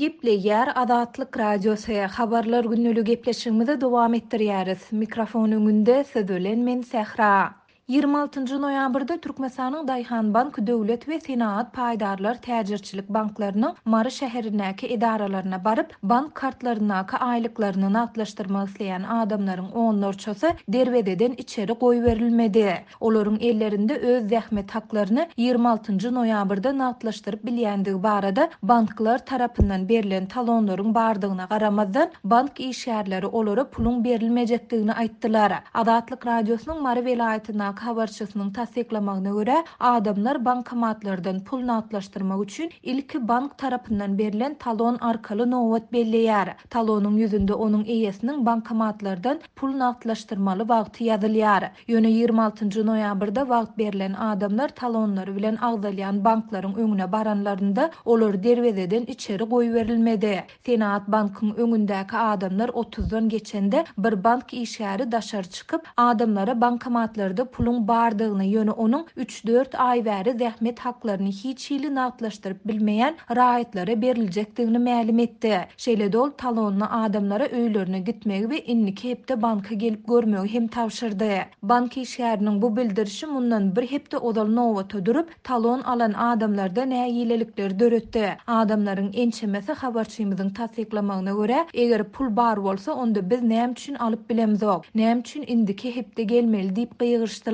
Gepleýär Azatlyk Radiosy, Habarlar gündeligi gepleşigimizi dowam etdirýäris. Mikrofon öňünde siz bilen men Sähra. 26 noýabrda Türkmenistanyň Daýhanbank döwlet we Senagat paýdarlar täjirçilik banklarynyň Mary şäherindäki edaralaryna baryp, bank kartlaryndaky aýlyklaryny nagtlaşdyrmak isleýän adamlaryň onlarçasy derwezeden içeri goýberilmedi. Olaryň ellerinde öz zähmet haklaryny 26 noýabrda nagtlaşdyryp bilýändigi barada banklar tarapyndan berlen talonlaryň bardygyna garamazdan, bank işgärleri olara puluň berilmejekdigini aýtdylar. Azatlyk Radiosynyň Mary welaýatyndaky habarçysynyň tassyklamagyna görä, adamlar bankomatlardan pul nagtlaşdyrmak üçin ilki bank tarapyndan berlen talon arkaly nobat belleýär. Talonyň ýüzünde onuň eýesiniň bankomatlardan pul nagtlaşdyrmaly wagty ýazylýar. Ýöne 26 noýabrda wagt berlen adamlar talonlary bilen agzalýan banklaryň öňüne baranlarynda, olar derwezeden içeri goýberilmedi. Senagat bankyň öňündäki adamlar otuzdan geçende, bir bank işgäri daşary çykyp, adamlara bankomatlarda puluň bardygyny, ýöne onuň üç-dört aý bäri zähmet haklaryny hiç hili nagtlaşdyryp bilmeýän raýatlara beriljekdigini mälim etdi. Şeýle-de ol talonly adamlara öýlerine gitmegi we indiki hepde banka gelip görmegi hem tabşyrdy. Bank işgäriniň bu bildirişi mundan bir hepde ozal nobata durup, talon alan adamlarda nägilelikleri döretdi. Adamlaryň ençemesi habarçymyzyň tassyklamagyna görä, eger pul bar bolsa, onda biz näme üçin alyp bilemzok? Näme üçin indiki hepde gelmeli diýip gygyryşdylar.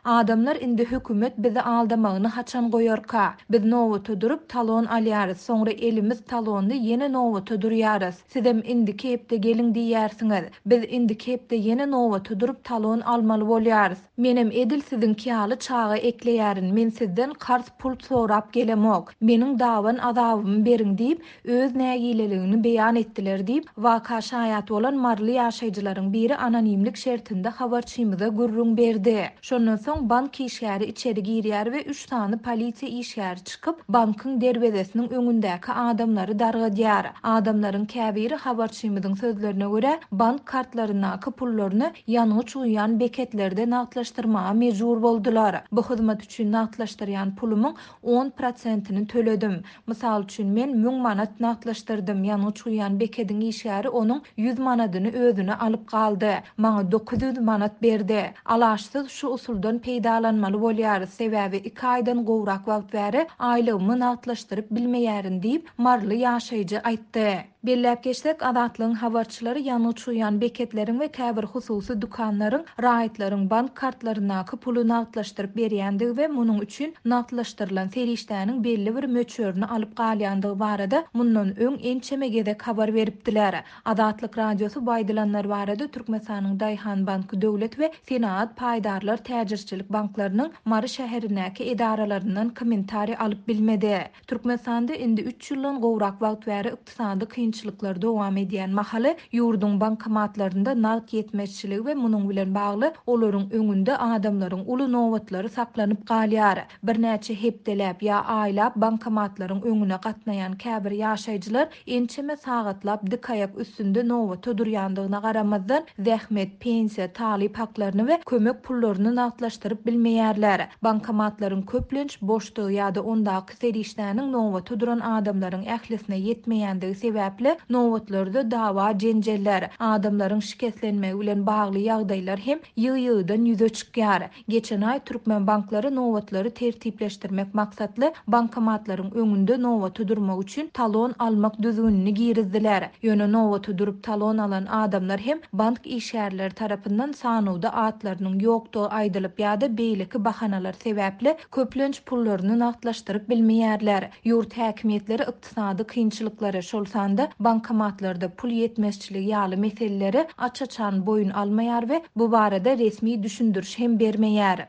Adamlar indi hökümet bizi aldamagyny haçan goýarka? Biz nobata durup, talon alýarys, soňra elimiz talonly ýene nobata durýarys. Sizem indiki hepde geliň diýýärsiňiz. Biz indiki hepde ýene nobata durup talon almaly bolýarys. Menem edil siziňki ýaly çaga ekleýärin, men sizden karz pul sorap gelemok. Meniň daban azabymy beriň diýip, öz nägileligini beýan etdiler diýip, waka şaýat bolan maryly ýaşaýjylaryň biri anonimlik şertinde habarçymyza gürrüň berdi. Şondan soň bank işgäri içeri girýär we üç sany polisiýa işgäri çykyp, bankyň derwezesiniň öňündäki adamlary dargadýar. Adamlaryň käbiri habarçymyzyň sözlerine görä, bank kartlaryndaky pullaryny ýangyç guýýan beketlerde nagtlaşdyrmaga mejbur boldular. Bu hyzmat üçin nagtlaşdyrýan pulumyň on prosentini töledim. Mysal üçin, men 1000 manat nagtlaşdyrdym, ýangyç guýýan bekediň işgäri onuň ýüz manadyny özüne alyp galdy. Maňa 900 manat berdi. Alaçsyz şu usuldan peýdalanmaly bolýarys, sebäbi iki aýdan gowrak wagt bäri aýlygymy nagtlaşdyryp bilmeýärin diýip, maryly ýaşaýjy aýtdy. Belläp geçsek, Azatlygyň habarçylary ýangyç guýýan beketleriň we käbir hususy dükanlaryň raýatlaryň bank kartlaryndaky puly nagtlaşdyryp berýändigi we munuň üçin nagtlaşdyrylan serişdäniň belli bir möçberini alyp galýandygy barada mundan öň ençeme gezek habar beripdiler. Azatlyk Radiosy bu aýdylanlar barada Türkmenistanyň Daýhanbank döwlet we Senagat paýdarlar täjirçilik banklarynyň Mary şäherindäki edaralaryndan kommentariý alyp bilmedi. Türkmenistanda indi üç ýyldan gowrak wagt bäri ykdysady kynçylyklar dowam edýän mahaly, ýurduň bankomatlarynda nagt ýetmezçiligi we munuň bilen bagly olaryň öňünde adamlaryň uly nobatlary saklanyp galýar. Birnäçe hepdeläp ýa aýlap bankomatlaryň öňüne gatnaýan käbir ýaşaýjylar ençeme sagatlap dik aýak üstünde nobata durýandygyna garamazdan, zähmet, pensiýa, talyp haklaryny we kömek pullaryny nagtlaşdyryp bilmeýärler. Bankomatlaryň köplenç boşdugy ýa-da ondaky serişdäniň nobata duran adamlaryň ählisine ýetmeýändigi sebäpli, nobatlarda dawa-jenjeller, adamlaryň şikeslenmegi bilen bagly ýagdaýlar hem ýygy-ýygydan ýüze çykýar. Geçen aý türkmen banklary nobatlary tertipleşdirmek maksatly bankomatlaryň öňünde nobata durmak üçin talon almak düzgünini girizdiler. Ýöne nobata durup talon alan adamlar hem bank işgärleri tarapyndan sanawda atlarynyň ýokdugy aýdylyp ýa-da beýleki bahanalar sebäpli köplenç pullaryny nagtlaşdyryp bilmeýärler. Ýurt häkimiýetleri ykdysady kynçylyklary, şol sanda bankomatlarda pul ýetmezçiligi ýaly meseleleri aç-açan boýun almaýar we bu barada resmi düşündiriş hem bermeýär.